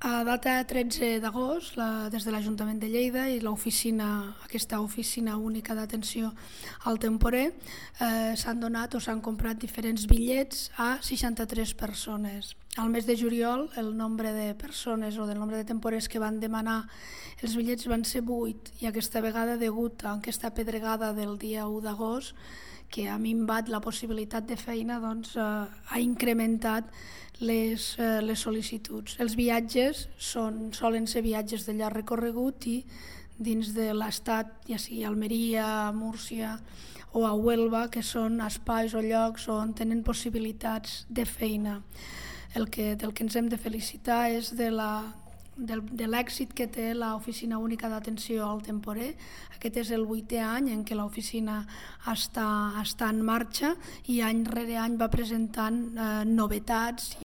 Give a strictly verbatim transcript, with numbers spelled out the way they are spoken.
A data tretze d'agost, la, des de l'Ajuntament de Lleida i l'oficina, aquesta oficina única d'atenció al temporer, eh, s'han donat o s'han comprat diferents bitllets a seixanta-tres persones. Al mes de juliol, el nombre de persones o del nombre de temporers que van demanar els bitllets van ser vuit, i aquesta vegada, degut a aquesta pedregada del dia u d'agost, que ha minvat la possibilitat de feina, doncs, eh, ha incrementat les, eh, les sol·licituds. Els viatges són, solen ser viatges de llarg recorregut i dins de l'estat, ja sigui Almeria, Múrcia o a Huelva, que són espais o llocs on tenen possibilitats de feina. El que, del que ens hem de felicitar és de la Del, de l'èxit que té l'Oficina Única d'Atenció al Temporer. Aquest és el vuitè any en què l'oficina està, està en marxa i any rere any va presentant eh, novetats